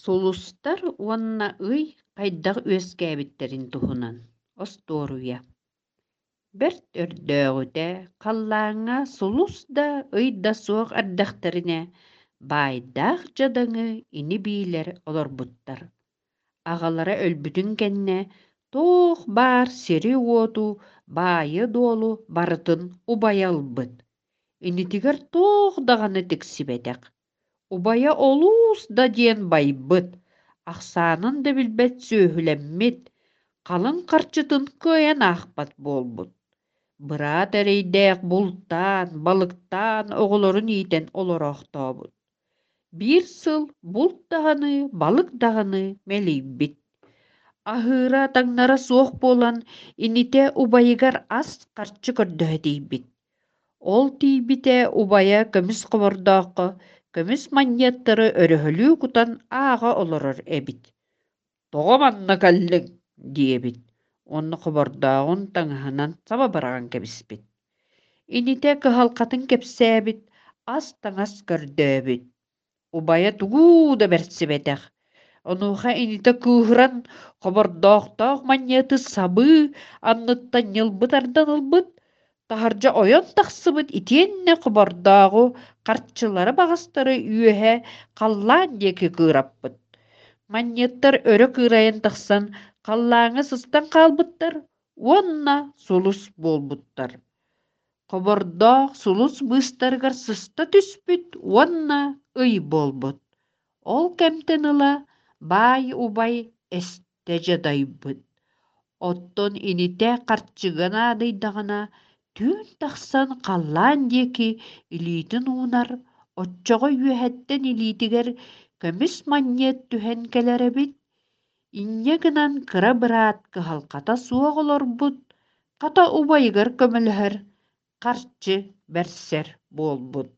Сулустар уонна ый хайдах үөскээбиттэрин туһунан остуоруйа. Бэрт өрдөөҕүтэ халлааҥҥа сулус да, ый да суох эрдэхтэринэ, баайдаах дьадаҥы ини-биилэр олорбуттар. Аҕалара өлбүтүн кэннэ туох баар сири-уоту, баайы-дуолу барытын убайа ылбыт. Инитигэр туох даҕаны тиксибэтэх. Убайа олус да диэн байбыт, ахсаанын да билбэт сүөһүлэммит, халыҥ харчытын кыайан аахпат буолбут. Быраат эрэйдээх бултаан, балыктаан оҕолорун иитэн олороохтообут. Биир сыл булт даҕаны, балык даҕаны мэлийбит. Аһыыра таҥнара суох буолан, инитэ убайыгар ас харчы көрдөһө тиийбит. Ол тиийбитэ убайа көмүс хобордооххо көмүс манньыаттары өрөһөлүү кутан ааҕа олорор эбит. «Тоҕо манна кэллиҥ?» диэбит уонна хобордооҕун таҥаһынан саба быраҕан кэбиспит. Инитэ кыһалҕатын кэпсээбит, ас-таҥас көрдөөбүт. Убайа тугу да бэрсибэтэх. Онуоха инитэ кыыһыран, хобордоохтоох манньыаты сабыы анныттан ньылбы тардан ылбыт, таһырдьа ойон тахсыбыт итиэннэ хобордооҕу харчылары баҕастары үөһэ халлаан диэки кыыраппыт. Манньыаттар өрө кыырайан тахсан халлааҥҥа сыстан хаалбыттар уонна сулус буолбуттар. Хобордоох сулус быыстарыгар сыста түспүт уонна ый буолбут. Ол кэмтэн ыла баай убай эстэ дьадайбыт. Оттон инитэ харчыга наадыйдаҕына, түүн тахсан халлаан диэки илиитин уунар, оччоҕо үөһэттэн илиитигэр көмүс манньыат түһэн кэлэр эбит. Инньэ гынан кыра быраат кыһалҕата суох олорбут, хата убайыгар көмөлөһөр, харчы бэрсэр буолбут.